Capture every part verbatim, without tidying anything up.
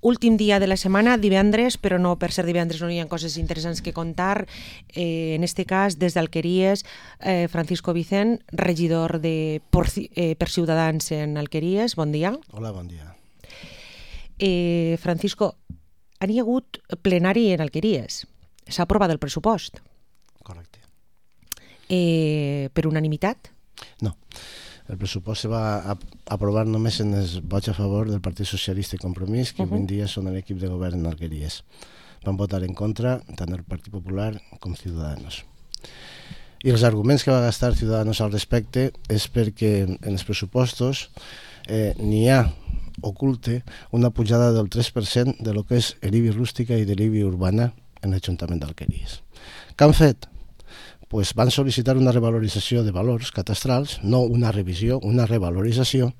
Últim dia de la setmana, divendres, però no per ser divendres no hi ha coses interessants que contar. Eh, en este cas, des d'Alqueries, eh, Francisco Vicent, regidor de por, eh, per Ciutadans en Alqueries. Bon dia. Hola, bon dia. Eh, Francisco, han hi hagut plenari en Alqueries. S'ha aprovat el pressupost. Correcte. Eh, per unanimitat? No. El pressupost se va aprovar només en els vots a favor del Partit Socialista i Compromís, que avui en dia són l'equip de govern en Alqueries. Van votar en contra tant el Partit Popular com Ciudadanos. I els arguments que va gastar Ciudadanos al respecte és perquè en els pressupostos eh, n'hi ha oculte una pujada del tres per cent de lo que és l'I B I rústica i de l'I B I urbana en l'Ajuntament d'Alqueries. Què han fet? Pues van sol·licitar una revalorització de valors catastrals, no una revisió, una revalorització,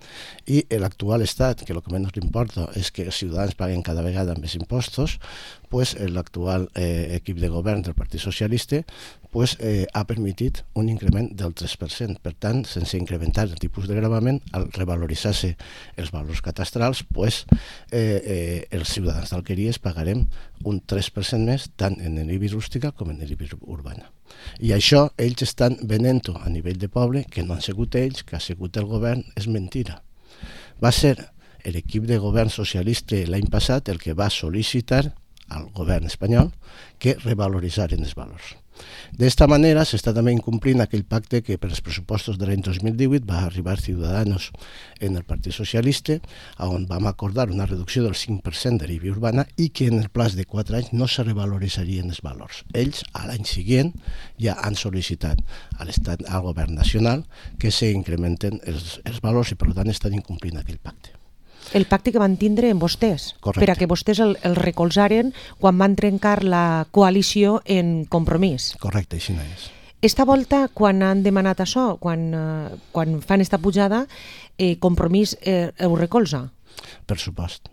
i l'actual estat, que el que menys li importa és que els ciutadans paguen cada vegada més impostos, pues l'actual eh, equip de govern del Partit Socialista pues, eh, ha permitit un increment del tres per cent. Per tant, sense incrementar el tipus de gravament, al revaloritzar-se els valors catastrals, pues, eh, eh, els ciutadans d'Alqueries pagarem un tres per cent més tant en l'I B I rústica com en l'I B I urbana. I això ells estan venent-ho a nivell de poble, que no han sigut ells, que ha sigut el govern, és mentira. Va ser l'equip de govern socialista l'any passat el que va sol·licitar al govern espanyol que revaloritzaren els valors. D'esta manera s'està també incomplint aquell pacte que per als pressupostos de l'any dos mil divuit va arribar Ciudadanos en el Partit Socialista, on vam acordar una reducció del cinc per cent de l'I B I urbana i que en el plaç de quatre anys no se revaloritzarien els valors. Ells, a l'any següent, ja han sol·licitat a l'estat, al govern nacional que s'incrementen els, els valors i per tant estan incomplint aquell pacte. El pacte que van tindre amb vostès, correcte, per a que vostès el, el recolzaren quan van trencar la coalició en Compromís. Correcte, així no és. Esta volta, quan han demanat això, quan, eh, quan fan esta pujada, eh, Compromís eh, ho recolza? Per supost.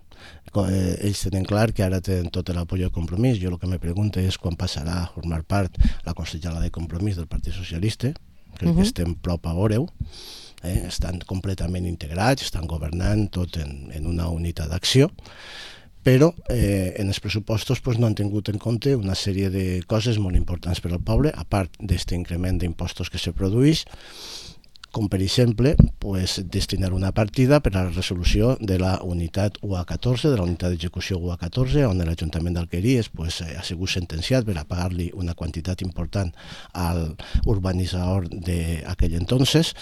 Eh, ells tenen clar que ara tenen tot l'apoyo de Compromís. Jo el que me pregunto és quan passarà a formar part la consellera de Compromís del Partit Socialista. Crec uh-huh. que estem prop a veure-ho. Eh, estan completament integrats, estan governant tot en, en una unitat d'acció, però eh, en els pressupostos pues, no han tingut en compte una sèrie de coses molt importants per al poble, a part d'aquest increment d'impostos que se produeix, com per exemple pues, destinar una partida per a la resolució de la unitat U A catorze, de la unitat d'execució U A catorze, on l'Ajuntament d'Alqueries pues, ha sigut sentenciat per a pagar-li una quantitat important al urbanitzador d'aquell entonces.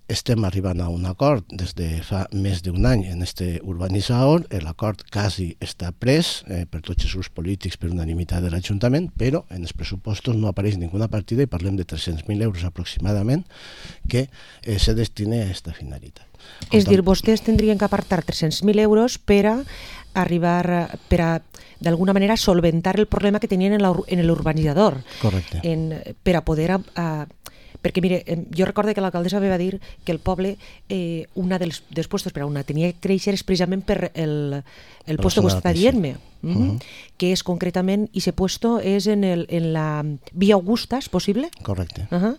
Estem arribant a un acord des de fa més d'un any en este urbanitzador. L'acord quasi està pres eh, per tots els grups polítics per unanimitat de l'Ajuntament, però en els pressupostos no apareix ninguna partida i parlem de tres-cents mil euros aproximadament que eh, se destine a aquesta finalitat. És dir, vostès tindrien que apartar tres-cents mil euros per a arribar, per a d'alguna manera solventar el problema que tenien en l'urbanitzador. Correcte. En, per a poder... A, perquè, mire, jo recordo que l'alcaldessa va dir que el poble, eh, una dels, dels puestos per a una tenia que créixer és precisament per el, el puesto que està dient-me, mm -hmm. uh-huh. que és concretament, i ese puesto és en, el, en la Via Augusta, és possible? Correcte. Uh -huh.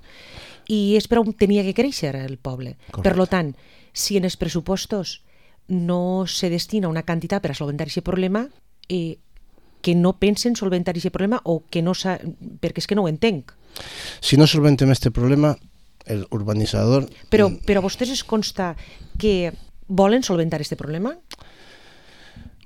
I és per on tenia que créixer el poble. Correcte. Per lo tant, si en els pressupostos no se destina una quantitat per a solventar aquest problema, eh, que no pensen solventar aquest problema o que no sa... perquè és que no ho entenc. Si no solventem aquest problema, el urbanitzador... Però, però a vostès es consta que volen solventar aquest problema?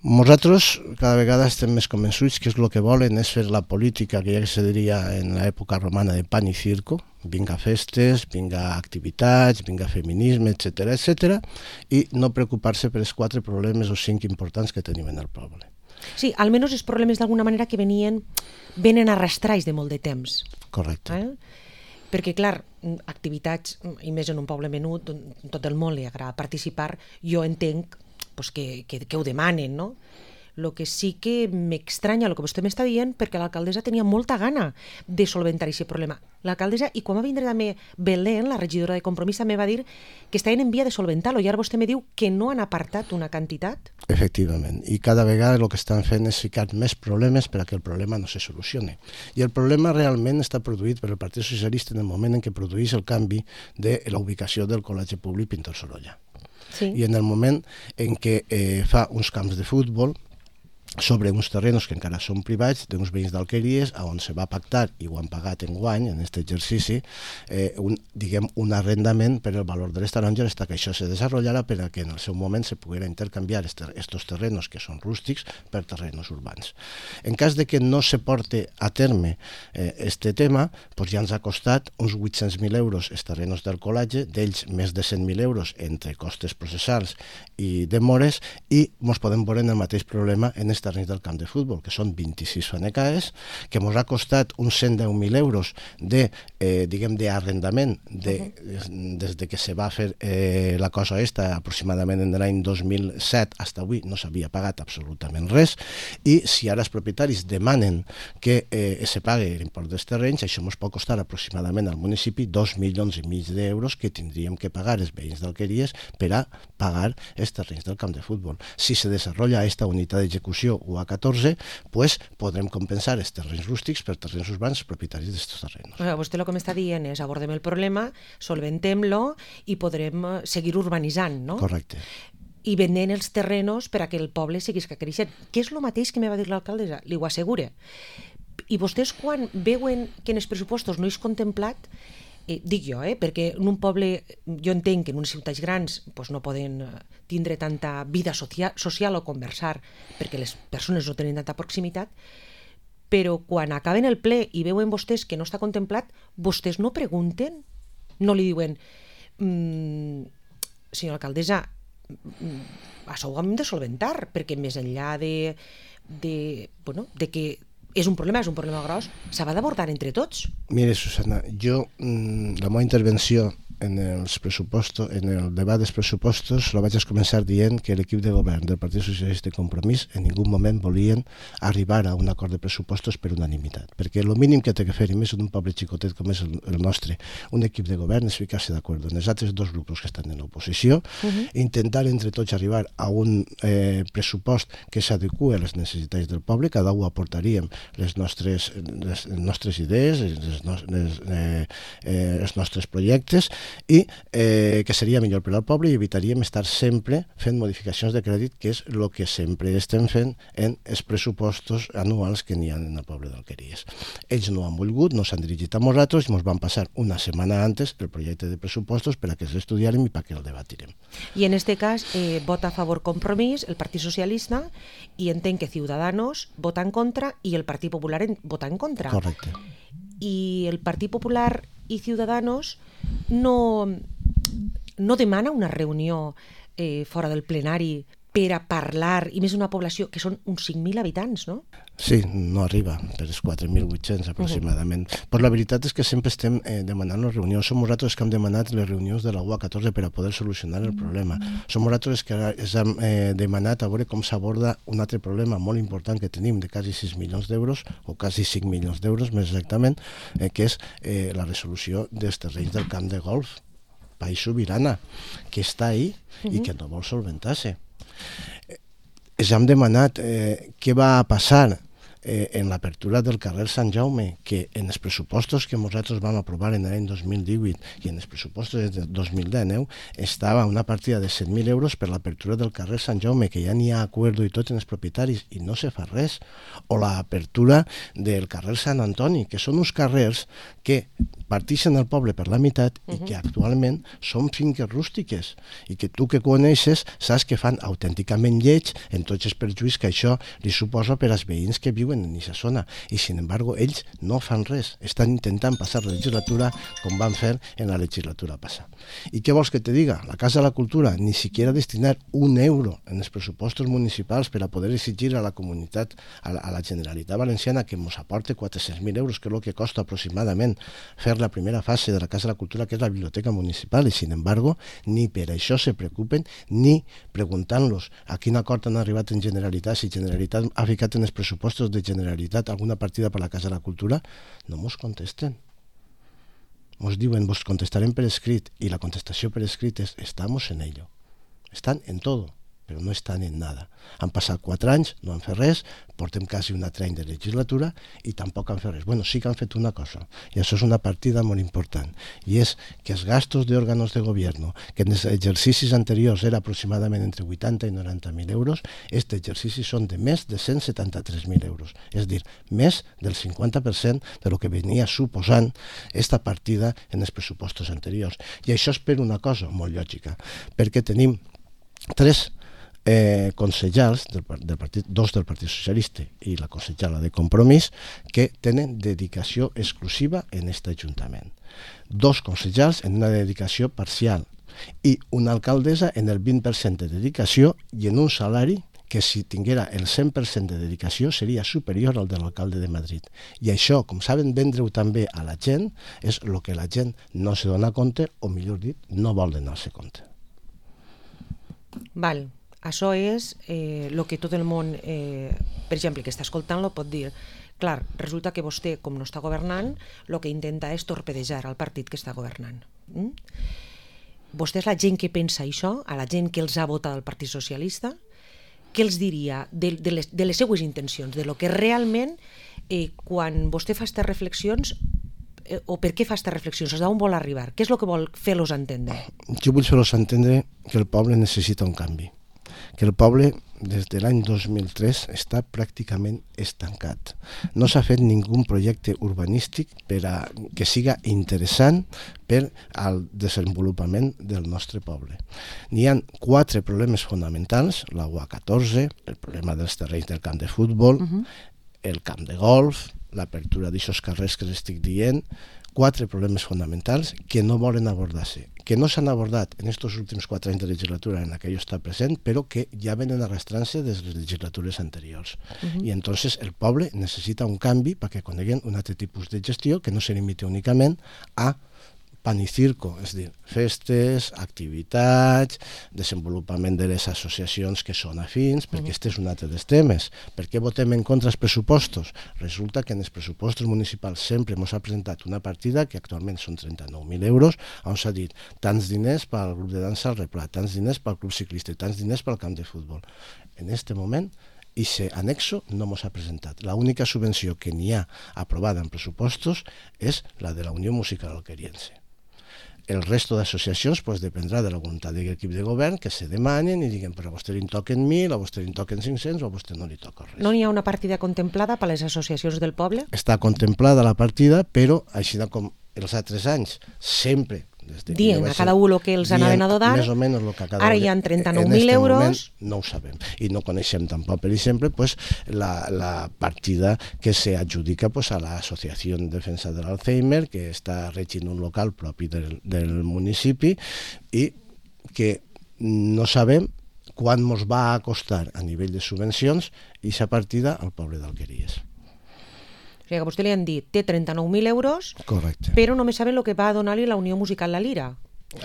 Nosaltres cada vegada estem més convençuts que és el que volen és fer la política que ja se diria en l'època romana de pan i circo, vinga festes, vinga activitats, vinga feminisme, etcètera, etcètera, i no preocupar-se per els quatre problemes o cinc importants que tenim en el poble. Sí, almenys els problemes d'alguna manera que venien, venen arrastrats de molt de temps. Correcte. Eh? Perquè, clar, activitats, i més en un poble menut, tot el món li agrada participar, jo entenc pues, que, que, que ho demanen, no? El que sí que m'estranya el que vostè m'està dient, perquè l'alcaldessa tenia molta gana de solventar aquest problema. L'alcaldessa, i quan va vindre també Belén, la regidora de Compromís, també va dir que estaven en via de solventar-lo, i ara vostè me diu que no han apartat una quantitat? Efectivament, i cada vegada el que estan fent és ficar més problemes per a que el problema no se solucioni. I el problema realment està produït per el Partit Socialista en el moment en què produeix el canvi de la ubicació del Col·legi Públic Pintor Sorolla. Sí. I en el moment en què eh, fa uns camps de futbol sobre uns terrenos que encara són privats d'uns veïns d'Alqueries, on se va pactar, i ho han pagat en guany, en aquest exercici, eh, un, diguem, un arrendament per el valor de les taronges, hasta que això se desenvoluparà per a que en el seu moment se poguera intercanviar estos terrenos que són rústics per terrenos urbans. En cas de que no se porte a terme eh, este tema, pues ja ens ha costat uns vuit-cents mil euros els terrenos del colatge, d'ells més de cent mil euros entre costes processals i demores, i ens podem veure en el mateix problema en els terrenys del camp de futbol, que són vint-i-sis fanecaes, que ens ha costat uns cent deu mil euros de, eh, diguem, d'arrendament de, uh-huh. des de que se va fer eh, la cosa esta aproximadament en l'any dos mil set fins avui no s'havia pagat absolutament res, i si ara els propietaris demanen que eh, se pagui l'import dels terrenys, això ens pot costar aproximadament al municipi dos milions i mig d'euros que tindríem que pagar els veïns d'Alqueries per a pagar els terrenys del camp de futbol. Si se desenvolupa aquesta unitat d'execució U A catorze, pues podrem compensar els terrenys rústics per terrenys urbans propietaris d'aquests terrenys. O sigui, vostè el que m'està dient és abordem el problema, solventem-lo i podrem seguir urbanitzant, no? Correcte. I venent els terrenos per a que el poble seguís creixent, que és el mateix que me va dir l'alcaldessa, li ho assegure. I vostès quan veuen que en els pressupostos no és contemplat, eh, dic jo, eh, perquè en un poble, jo entenc que en unes ciutats grans pues, no poden tindre tanta vida socia social o conversar perquè les persones no tenen tanta proximitat, però quan acaben el ple i veuen vostès que no està contemplat, vostès no pregunten, no li diuen mmm, senyora alcaldessa, això ho hem de solventar, perquè més enllà de, de, bueno, de que és un problema, és un problema gros, s'ha d'abordar entre tots. Mire, Susana, jo, la meva intervenció en els pressupostos, en el debat dels pressupostos, la vaig començar dient que l'equip de govern del Partit Socialista i Compromís en ningú moment volien arribar a un acord de pressupostos per unanimitat, perquè el mínim que té que fer, i més en un poble xicotet com és el, el nostre, un equip de govern és ficar-se d'acord en els altres dos grups que estan en l'oposició, uh-huh. intentar entre tots arribar a un eh, pressupost que s'adequa a les necessitats del poble, cada un aportaríem les nostres, les, les nostres idees, les, les, eh, eh, els nostres projectes, i eh, que seria millor per al poble i evitaríem estar sempre fent modificacions de crèdit, que és el que sempre estem fent en els pressupostos anuals que n'hi ha en el poble d'Alqueries. Ells no han volgut, no s'han dirigit a nosaltres i ens van passar una setmana antes el projecte de pressupostos per a que els estudiarem i perquè el debatirem. I en este cas eh, vota a favor Compromís, el Partit Socialista, i entenc que Ciudadanos vota en contra i el Partit Popular en, vota en contra. Correcte. I el Partit Popular i Ciudadanos no, no demana una reunió eh, fora del plenari per a parlar, i més una població que són uns cinc mil habitants, no? Sí, no arriba, per els quatre mil vuit-cents aproximadament. Uh-huh. Però la veritat és que sempre estem eh, demanant les reunions. Som nosaltres que hem demanat les reunions de la U A catorze per a poder solucionar el problema. Som nosaltres que ens hem eh, demanat a veure com s'aborda un altre problema molt important que tenim de quasi sis milions d'euros, o quasi cinc milions d'euros més exactament, eh, que és eh, la resolució dels terrenys del camp de golf, País Sobirana, que està ahí uh-huh. i que no vol solventar-se. ens hem demanat eh, què va passar eh, en l'apertura del carrer Sant Jaume, que en els pressupostos que nosaltres vam aprovar en l'any dos mil divuit i en els pressupostos de dos mil dinou estava una partida de set mil euros per l'apertura del carrer Sant Jaume, que ja n'hi ha acord i tot en els propietaris i no se fa res, o l'apertura del carrer Sant Antoni, que són uns carrers que partixen el poble per la meitat i que actualment són finques rústiques i que tu que coneixes saps que fan autènticament lleig en tots els perjuís que això li suposa per als veïns que viuen en aquesta zona i, sin embargo, ells no fan res, estan intentant passar la legislatura com van fer en la legislatura passada. I què vols que te diga? La Casa de la Cultura ni siquiera destinar un euro en els pressupostos municipals per a poder exigir a la comunitat, a la, a la Generalitat Valenciana que ens aporte quatre-cents mil euros, que és el que costa aproximadament fer la primera fase de la Casa de la Cultura, que és la biblioteca municipal, i sin embargo ni per això se preocupen, ni preguntant-los a quin acord han arribat en Generalitat, si Generalitat ha ficat en els pressupostos de Generalitat alguna partida per la Casa de la Cultura, no mos contesten. Mos diuen, vos contestarem per escrit, i la contestació per escrit és, estamos en ello. Estan en todo. però no estan en nada. Han passat quatre anys, no han fet res, portem quasi un altre any de legislatura i tampoc han fet res. Bueno, sí que han fet una cosa, i això és una partida molt important, i és que els gastos d'òrganos de govern, que en els exercicis anteriors era aproximadament entre vuitanta i noranta mil euros, aquest exercici són de més de cent setanta-tres mil euros, és a dir, més del cinquanta per cent de lo que venia suposant esta partida en els pressupostos anteriors. I això és per una cosa molt lògica, perquè tenim tres eh, consellers, del, del partit, dos del Partit Socialista i la consellera de Compromís, que tenen dedicació exclusiva en aquest Ajuntament. Dos consellers en una dedicació parcial i una alcaldessa en el vint per cent de dedicació i en un salari que si tinguera el cent per cent de dedicació seria superior al de l'alcalde de Madrid. I això, com saben vendre-ho també a la gent, és el que la gent no se dona compte, o millor dit, no vol donar-se compte. Val, això és eh, el que tot el món, eh, per exemple, que està escoltant-lo pot dir. Clar, resulta que vostè, com no està governant, el que intenta és torpedejar el partit que està governant. Mm? Vostè és la gent que pensa això, a la gent que els ha votat al Partit Socialista, què els diria de, de, les, de les seues intencions, de lo que realment, eh, quan vostè fa aquestes reflexions, eh, o per què fa aquestes reflexions, d'on vol arribar, què és el que vol fer-los entendre? Jo vull fer-los entendre que el poble necessita un canvi, que el poble des de l'any dos mil tres està pràcticament estancat. No s'ha fet ningú projecte urbanístic per a que siga interessant per al desenvolupament del nostre poble. N'hi ha quatre problemes fonamentals, la U A catorze, el problema dels terrenys del camp de futbol, uh-huh. el camp de golf, l'apertura d'aixòs carrers que estic dient, quatre problemes fonamentals que no volen abordar-se, que no s'han abordat en aquests últims quatre anys de legislatura en la que jo està present, però que ja venen arrastrant-se des de les legislatures anteriors. Uh-huh. I entonces el poble necessita un canvi perquè coneguen un altre tipus de gestió que no se limiti únicament a pan i circo, és a dir, festes, activitats, desenvolupament de les associacions que són afins, perquè aquest és un altre dels temes. Per què votem en contra els pressupostos? Resulta que en els pressupostos municipals sempre ens ha presentat una partida que actualment són trenta-nou mil euros, on s'ha dit tants diners pel grup de dansa al Replà, tants diners pel club ciclista i tants diners pel camp de futbol. En aquest moment, i aquest anexo no ens ha presentat. L'única subvenció que n'hi ha aprovada en pressupostos és la de la Unió Musical Alqueriense. El resto d'associacions pues, dependrà de la voluntat de l'equip de govern que se demanen i diguen però a vostè li toquen mil, a vostè li toquen cinc-cents o a vostè no li toca res. No n'hi ha una partida contemplada per les associacions del poble? Està contemplada la partida, però així com els altres anys, sempre dient a cada un el que els anaven a donar, més o menys el que cada ara hi ha trenta-nou mil euros. No ho sabem. I no coneixem tampoc, per exemple, pues, la, la partida que se adjudica pues, a l'Associació de Defensa de l'Alzheimer, que està regint un local propi del, del municipi i que no sabem quan ens va costar a nivell de subvencions aquesta partida al poble d'Alqueries. O sigui que a vostè li han dit, té trenta-nou mil euros, correcte, però només saben el que va donar-li la Unió Musical La Lira.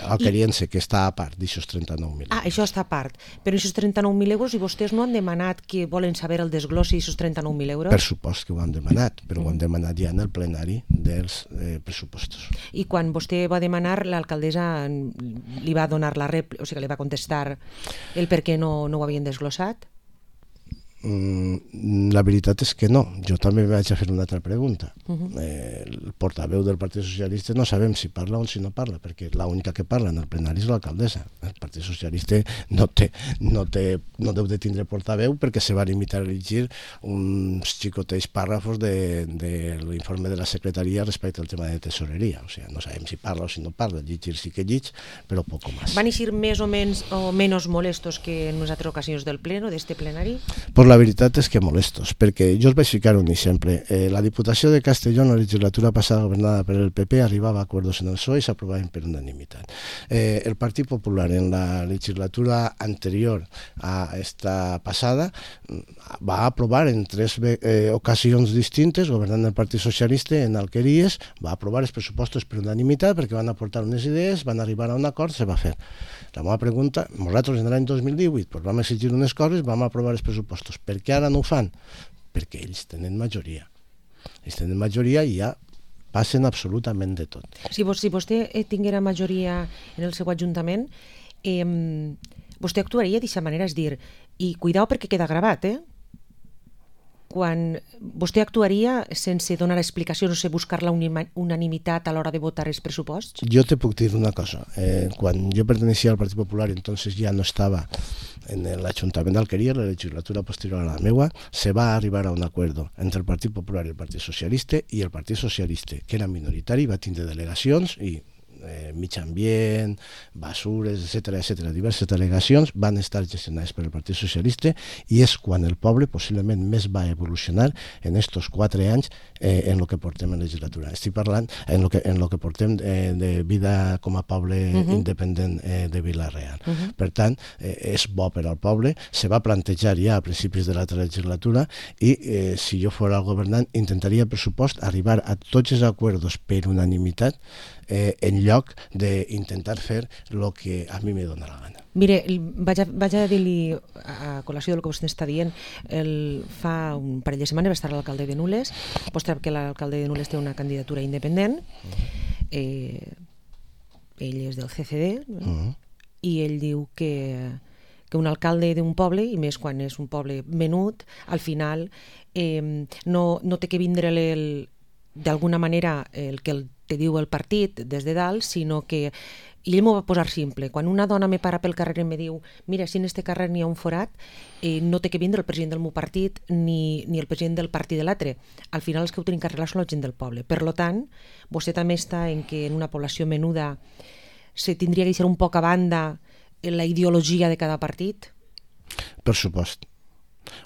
Alqueriense, I... que està a part d'aixòs trenta-nou mil. Ah, això està a part. Però aquests trenta-nou mil euros, i vostès no han demanat que volen saber el desglossi d'aquests trenta-nou mil euros? Per supost que ho han demanat, però mm. ho han demanat ja en el plenari dels eh, pressupostos. I quan vostè va demanar, l'alcaldessa li va donar la rèplica, o sigui, li va contestar el per què no, no ho havien desglossat? Mm, la veritat és que no. Jo també vaig a fer una altra pregunta. Uh-huh. eh, el portaveu del Partit Socialista no sabem si parla o si no parla, perquè l'única que parla en el plenari és l'alcaldessa. El Partit Socialista no, té, no, té, no deu de tindre portaveu perquè se va limitar a llegir uns xicoteix pàrrafos de, de l'informe de la secretaria respecte al tema de tesoreria. O sigui, no sabem si parla o si no parla. Llegir sí que llig, però poco més. Van eixir més o menys o menys molestos que en unes altres ocasions del pleno, d'este plenari? Pues la veritat és que molestos, perquè jo us vaig ficar un exemple. Eh, la Diputació de Castelló en la legislatura passada governada per el P P arribava a acords en el P S O E i s'aprovaven per unanimitat. Eh, el Partit Popular en la legislatura anterior a esta passada va aprovar en tres eh, ocasions distintes, governant el Partit Socialista en Alqueries, va aprovar els pressupostos per unanimitat perquè van aportar unes idees, van arribar a un acord, se va fer. La meva pregunta, nosaltres en l'any dos mil divuit pues, vam exigir unes coses, vam aprovar els pressupostos. Per què ara no ho fan? Perquè ells tenen majoria. Ells tenen majoria i ja passen absolutament de tot. Si, vos, si vostè tinguera majoria en el seu ajuntament, eh, vostè actuaria d'aquesta manera, és dir, i cuidao perquè queda gravat, eh? Quan vostè actuaria sense donar explicacions, no sé, buscar la unanimitat a l'hora de votar els pressuposts? Jo te puc dir una cosa. Eh, quan jo pertenecía al Partit Popular, entonces ya no estaba en el Ayuntamiento de Alquería, la legislatura posterior a la meua, se va a arribar a un acuerdo entre el Partit Popular i el Partit Socialista, i el Partit Socialista, que era minoritari, va tindre delegacions i eh, mig ambient, basures, etcètera, etcètera, diverses delegacions van estar gestionades per el Partit Socialista, i és quan el poble possiblement més va evolucionar en estos quatre anys eh, en el que portem en legislatura. Estic parlant en el que, en lo que portem eh, de vida com a poble uh-huh. independent eh, de Vila-real. Uh-huh. Per tant, eh, és bo per al poble, se va plantejar ja a principis de l'altra legislatura, i eh, si jo fos el governant intentaria el pressupost arribar a tots els acords per unanimitat, eh, en lloc d'intentar fer el que a mi me dóna la gana. Mire, vaig a, vaig a dir-li, a col·lació del que vostè està dient, el, fa un parell de setmanes va estar l'alcalde de Nules, vostè sap que l'alcalde de Nules té una candidatura independent, eh, ell és del C C D, uh-huh. i ell diu que, que un alcalde d'un poble, i més quan és un poble menut, al final eh, no, no té que vindre d'alguna manera el que el te diu el partit des de dalt, sinó que, i ell m'ho va posar simple, quan una dona me para pel carrer i me diu mira, si en este carrer n'hi ha un forat, eh, no té que vindre el president del meu partit ni, ni el president del partit de l'altre. Al final els que ho tenen que arreglar són la gent del poble. Per lo tant, vostè també està en que en una població menuda se tindria que deixar un poc a banda la ideologia de cada partit? Per supost.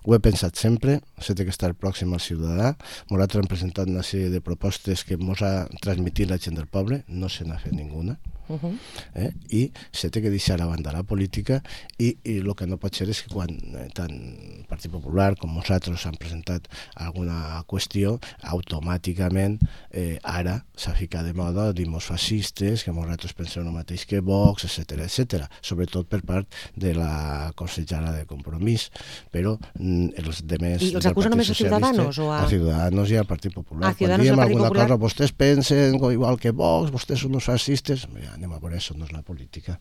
Ho he pensat sempre, s'ha de estar pròxim al ciutadà. Nosaltres hem presentat una sèrie de propostes que ens ha transmitit la gent del poble, no se n'ha fet ninguna. Uh-huh. eh? I s'ha de deixar a banda la política, i el que no pot ser és que quan eh, tant el Partit Popular com nosaltres han presentat alguna qüestió, automàticament eh, ara s'ha ficat de moda dimos fascistes, que nosaltres pensem el mateix que Vox, etcètera, etcètera, sobretot per part de la consellera de Compromís, però mm, els demés... I els acusa només a Ciudadanos? O a... a Ciudadanos i al Partit Popular. A Ciudadanos i al Partit Popular? Cosa, vostès pensen igual que Vox, vostès són uns fascistes... Ja, anem a veure, això no és la política.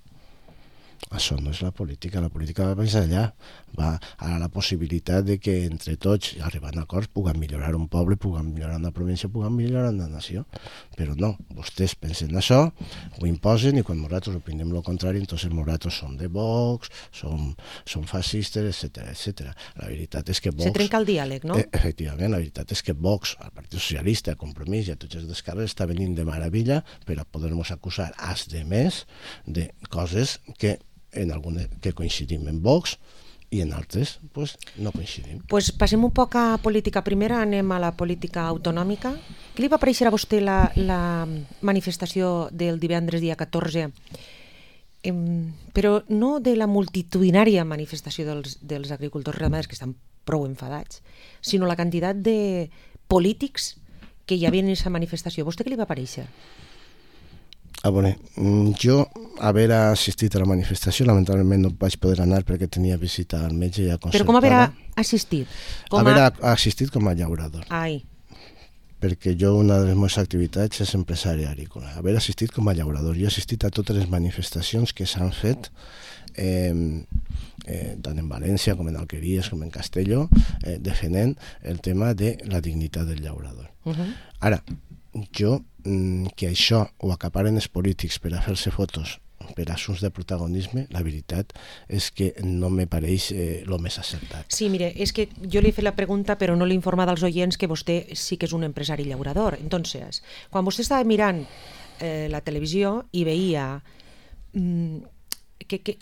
Això no és la política. La política va més allà. Va a la possibilitat de que entre tots, arribant a acords, puguem millorar un poble, puguem millorar una província, puguem millorar una nació. Però no, vostès pensen això, ho imposen, i quan nosaltres opinem el contrari, entonces nosaltres som de Vox, som, som fascistes, etcètera, etcètera. La veritat és que Vox... Se trenca el diàleg, no? Eh, efectivament, la veritat és que Vox, el Partit Socialista, el Compromís i a tots els d'esquerres està venint de meravella per a poder-nos acusar als demés de coses que en algunes que coincidim en Vox i en altres pues, no coincidim. Pues passem un poc a política primera, anem a la política autonòmica. Què li va aparèixer a vostè la, la manifestació del divendres dia catorze? Eh, però no de la multitudinària manifestació dels, dels agricultors ramaders, que estan prou enfadats, sinó la quantitat de polítics que hi havia en aquesta manifestació. A vostè què li va aparèixer? A veure, jo haver assistit a la manifestació, lamentablement no vaig poder anar perquè tenia visita al metge ja concertada. Però com haver assistit? Com haver a... assistit com a llaurador. Ai. Perquè jo una de les meves activitats és empresari agrícola. Haver assistit com a llaurador. Jo he assistit a totes les manifestacions que s'han fet, eh, eh, tant en València com en Alqueries com en Castelló, eh, defendent el tema de la dignitat del llaurador. Uh-huh. Ara, jo, que això ho acaparen els polítics per a fer-se fotos per assumptes de protagonisme, la veritat és que no me pareix el eh, més acertat. Sí, mire, és que jo li he fet la pregunta però no l'he informat als oients que vostè sí que és un empresari llaurador. Entonces, quan vostè estava mirant eh, la televisió i veia mm, que, que,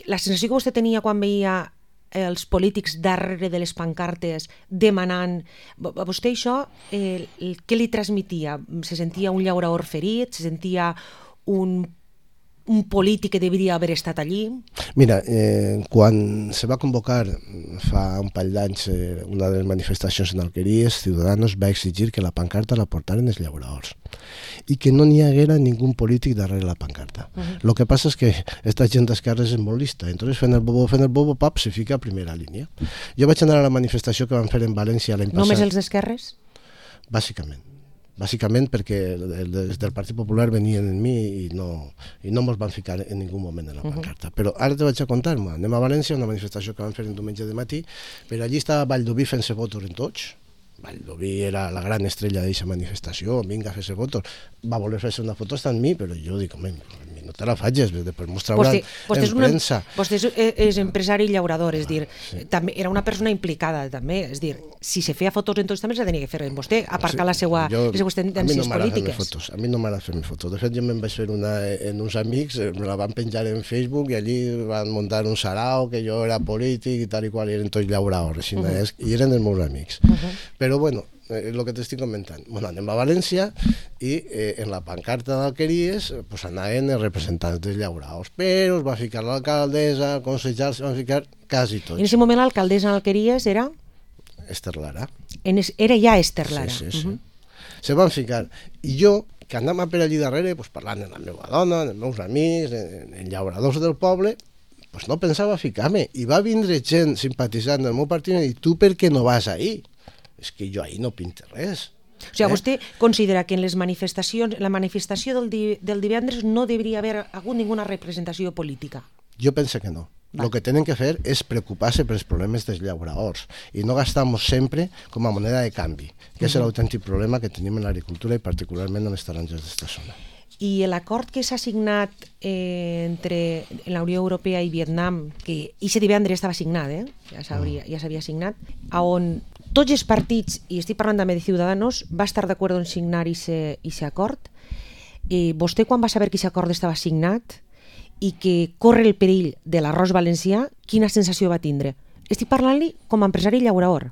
la sensació que vostè tenia quan veia els polítics darrere de les pancartes demanant... A vostè això, eh, què li transmitia? Se sentia un llaurador ferit? Se sentia un, un polític que devia haver estat allí? Mira, eh, quan se va convocar fa un parell d'anys eh, una de les manifestacions en Alqueries, Ciudadanos va exigir que la pancarta la portaren els llauradors i que no n'hi haguera ningú polític darrere la pancarta. Uh-huh. Lo que passa és que esta gent d'esquerres és molt lista, entonces fent el bobo, fent el bobo, pap, se fica a primera línia. Jo vaig anar a la manifestació que van fer en València l'any passat. Només els d'esquerres? Bàsicament. bàsicament perquè des del Partit Popular venien en mi i no, i no mos van ficar en ningú moment en la pancarta. Uh -huh. Però ara te vaig a contar, anem a València, una manifestació que van fer un diumenge de matí, però allí estava Valldoví fent-se fotos en tots. Valldoví era la gran estrella d'aquesta manifestació, vinga a fer-se fotos, va voler fer-se una foto està en mi, però jo dic, home, no te la faig, després mostrar-la en premsa. Vostè és, és empresari i llaurador, és dir, sí. També era una persona implicada, també, és dir, si se feia fotos en tots també s'ha de fer en vostè, aparcar sí, la seva, jo, les seues tendències no polítiques. Fotos, a mi no m'agrada fer-me fotos, de fet jo me'n vaig fer una en uns amics, me la van penjar en Facebook i allí van muntar un sarau que jo era polític i tal i qual, i eren tots llauradors, uh -huh. i eren els meus amics. Uh -huh. Però bueno, és el que t'estic comentant. Bueno, anem a València i eh, en la pancarta d'Alqueries pues, anaven els representants dels llauraos, però es va ficar l'alcaldessa, consellers, van ficar quasi tots. En aquest moment l'alcaldessa d'Alqueries era? Esther Lara. En es, era ja Esther Lara. Sí, sí, sí. Uh -huh. Se van ficar. I jo, que anava per allí darrere, pues, parlant amb la meva dona, amb els meus amics, en, en llauradors del poble, pues, no pensava ficar-me. I va vindre gent simpatitzant del meu partit i dir, tu per què no vas ahí? És que jo ahir no pinto res. O sigui, eh? Vostè considera que en les manifestacions, la manifestació del, di, del divendres no hauria haver hagut ninguna representació política? Jo penso que no. Va. El que tenen que fer és preocupar-se pels problemes dels llauradors i no gastar-nos sempre com a moneda de canvi, que uh -huh. és l'autèntic problema que tenim en l'agricultura i particularment en les taronges d'esta zona. I l'acord que s'ha signat eh, entre la Unió Europea i Vietnam, que aquest divendres estava signat, eh? ja s'havia ja s'havia signat, on tots els partits, i estic parlant també de Ciudadanos, va estar d'acord en signar aquest acord. Eh, vostè, quan va saber que aquest acord estava signat i que corre el perill de l'arròs valencià, quina sensació va tindre? Estic parlant-li com a empresari llaurador.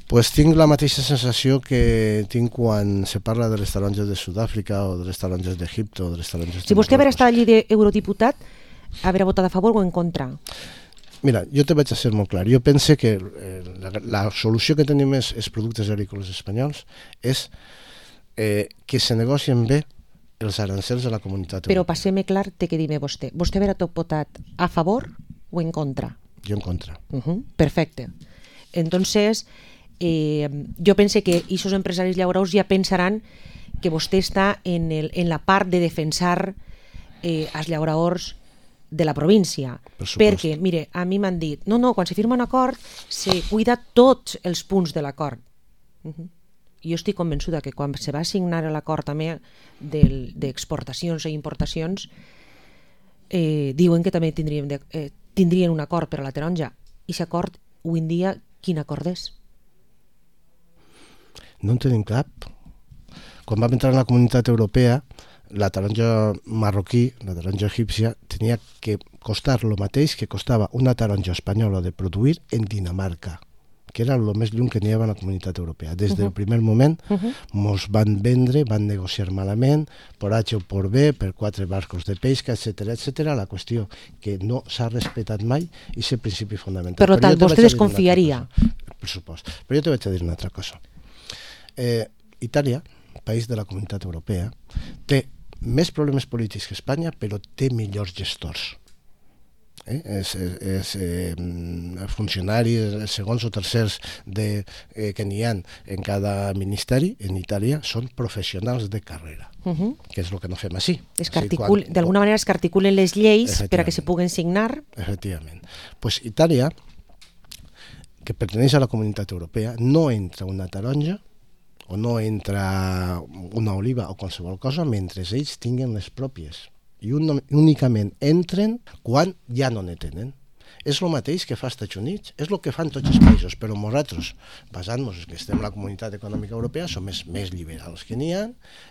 Pues tinc la mateixa sensació que tinc quan se parla de les taronges de Sud-àfrica o de les taronges d'Egipte o de les taronges de... Si vostè haver estat allí d'eurodiputat, haver votat a favor o en contra? Mira, jo te vaig a ser molt clar. Jo pense que eh, la, la solució que tenim és, els productes agrícoles espanyols és eh, que se negocien bé els arancels de la comunitat europea. Però europea. passem clar, té que dir-me vostè. Vostè haver votat a favor o en contra? Jo en contra. Uh -huh, perfecte. Entonces, eh, jo pense que aquests empresaris llauradors ja pensaran que vostè està en, el, en la part de defensar eh, els llauradors de la província, perquè, mire, a mi m'han dit, no, no, quan se firma un acord se cuida tots els punts de l'acord. Uh -huh. Jo estic convençuda que quan se va signar l'acord també d'exportacions i importacions, eh, diuen que també tindrien, de, eh, tindrien un acord per a la taronja. I aquest acord, avui en dia, quin acord és? No en tenim cap. Quan vam entrar en la comunitat europea, la taronja marroquí, la taronja egípcia, tenia que costar el mateix que costava una taronja espanyola de produir en Dinamarca, que era el més lluny que n'hi havia a la comunitat europea. Des del primer moment uh-huh. mos van vendre, van negociar malament, per H o per B, per quatre barcos de pesca, etcètera, etcètera. La qüestió que no s'ha respectat mai i és el principi fonamental. Per tant, vostè desconfiaria? Per supost. Però jo te vaig a dir una altra cosa. Eh, Itàlia, país de la comunitat europea, té més problemes polítics que Espanya, però té millors gestors. Eh? És, és, és eh, funcionaris, segons o tercers de, eh, que n'hi ha en cada ministeri, en Itàlia, són professionals de carrera, uh-huh. que és el que no fem així. Articul... D'alguna manera es que articulen les lleis per a que se puguen signar. Efectivament. Pues Itàlia, que perteneix a la comunitat europea, no entra una taronja o no entra una oliva o qualsevol cosa mentre ells tinguen les pròpies. I un, únicament entren quan ja no ne tenen. És el mateix que fa als Estats Units, és el que fan tots els països, però nosaltres, basant-nos que estem a la comunitat econòmica europea, som més, més liberals que n'hi ha,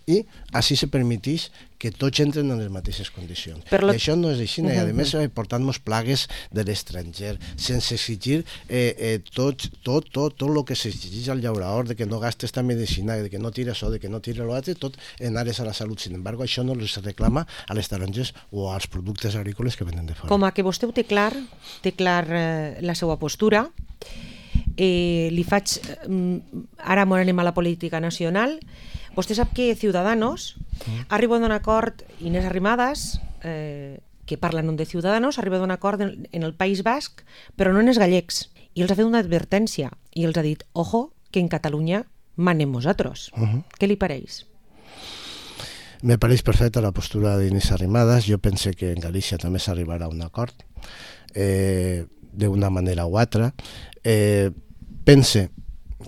i així se permeteix que tots entren en les mateixes condicions. Però la... I això no és així, uh -huh. i a més portant-nos plagues de l'estranger, sense exigir eh, eh, tot, tot, tot, tot el que s'exigeix al llaurador, de que no gasta esta medicina, de que no tira això, de que no tira l'altre, tot en àrees a la salut. Sin embargo, això no es reclama a les taronges o als productes agrícoles que venen de fora. Com a que vostè ho té clar, té clar eh, la seva postura, eh, li faig, eh, ara anem a la política nacional. Vostè sap que Ciudadanos mm. ha arribat a un acord, Inés Arrimadas, eh, que parlen de Ciudadanos, ha arribat a un acord en, en el País Basc, però no en els gallecs. I els ha fet una advertència i els ha dit, ojo, que en Catalunya manem vosaltres. Uh -huh. Què li pareix? Me pareix perfecta la postura d'Inés Arrimadas. Jo pense que en Galícia també s'arribarà a un acord, eh, d'una manera o altra. Eh, pense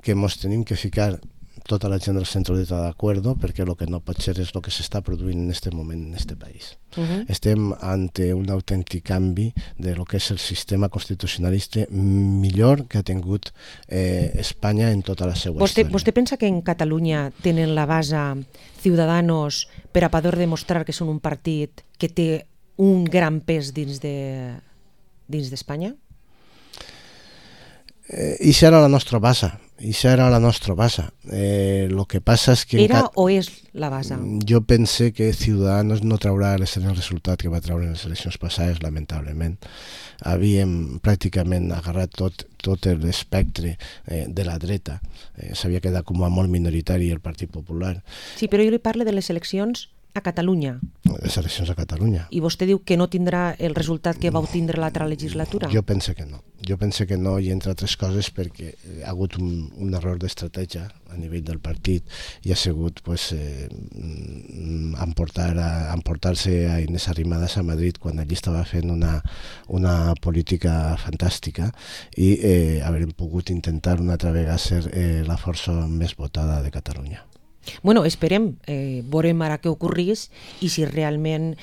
que ens tenim que ficar tota la gent del centre-dreta d'acord, perquè el que no pot ser és el que s'està produint en aquest moment en aquest país. Uh-huh. Estem ante un autèntic canvi de lo que és el sistema constitucionalista millor que ha tingut eh, Espanya en tota la seva vostè, història. Vostè pensa que en Catalunya tenen la base Ciudadanos per a poder demostrar que són un partit que té un gran pes dins de dins d'Espanya? Eh, I això era la nostra base. I això era la nostra base. Eh, lo que passa és que... Era o és la base? Jo pense que Ciudadanos no traurà el resultat que va treure en les eleccions passades, lamentablement. Havíem pràcticament agarrat tot, tot l'espectre eh, de la dreta. Eh, S'havia quedat com a molt minoritari el Partit Popular. Sí, però jo li parlo de les eleccions a Catalunya. Les eleccions a Catalunya. I vostè diu que no tindrà el resultat que va obtindre l'altra legislatura? Jo pense que no. Jo pense que no, i entre altres coses perquè ha hagut un, un error d'estratègia a nivell del partit i ha sigut pues, eh, emportar a, emportar-se a Inés Arrimadas a Madrid quan allí estava fent una, una política fantàstica i eh, haver pogut intentar una altra vegada ser eh, la força més votada de Catalunya. Bueno, esperem, eh, veurem ara què ocorrís i si realment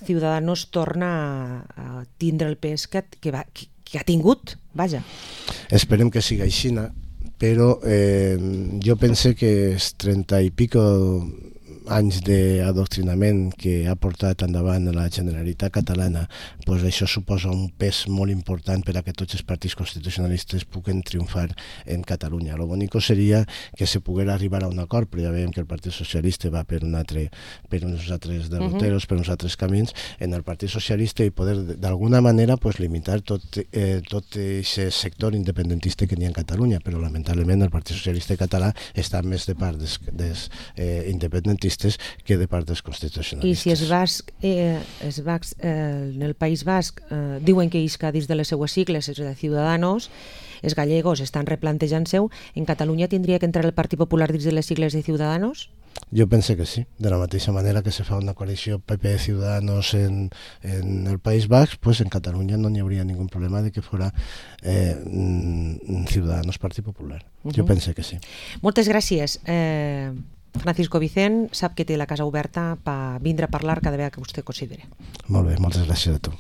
Ciudadanos torna a tindre el pes que, que, va, que, que ha tingut, vaja. Esperem que siga així, però eh, jo pense que els trenta i pico anys d'adoctrinament que ha portat endavant la Generalitat catalana, pues això suposa un pes molt important per a que tots els partits constitucionalistes puguen triomfar en Catalunya. Lo bonico seria que se poguera arribar a un acord, però ja veiem que el Partit Socialista va per, un altre, per uns altres derroteros, uh -huh. per uns altres camins, en el Partit Socialista i poder d'alguna manera pues, limitar tot eh, tot aquest sector independentista que n'hi ha en Catalunya, però lamentablement el Partit Socialista català està més de part dels, dels eh, independentistes que de part dels constitucionalistes. I si es basc, eh, es basc, eh, en el País Basc eh, diuen que isca dins de les seues sigles, és de Ciudadanos, els gallegos estan replantejant-se, en Catalunya tindria que entrar el Partit Popular dins de les sigles de Ciudadanos? Jo pense que sí. De la mateixa manera que se fa una coalició P P Ciudadanos en, en el País Basc, pues en Catalunya no n'hi hauria ningú problema de que fora eh, Ciudadanos Partit Popular. Uh-huh. Jo pense que sí. Moltes gràcies. Eh... Francisco Vicent sap que té la casa oberta per vindre a parlar cada vegada que vostè consideri. Molt bé, moltes gràcies a tu.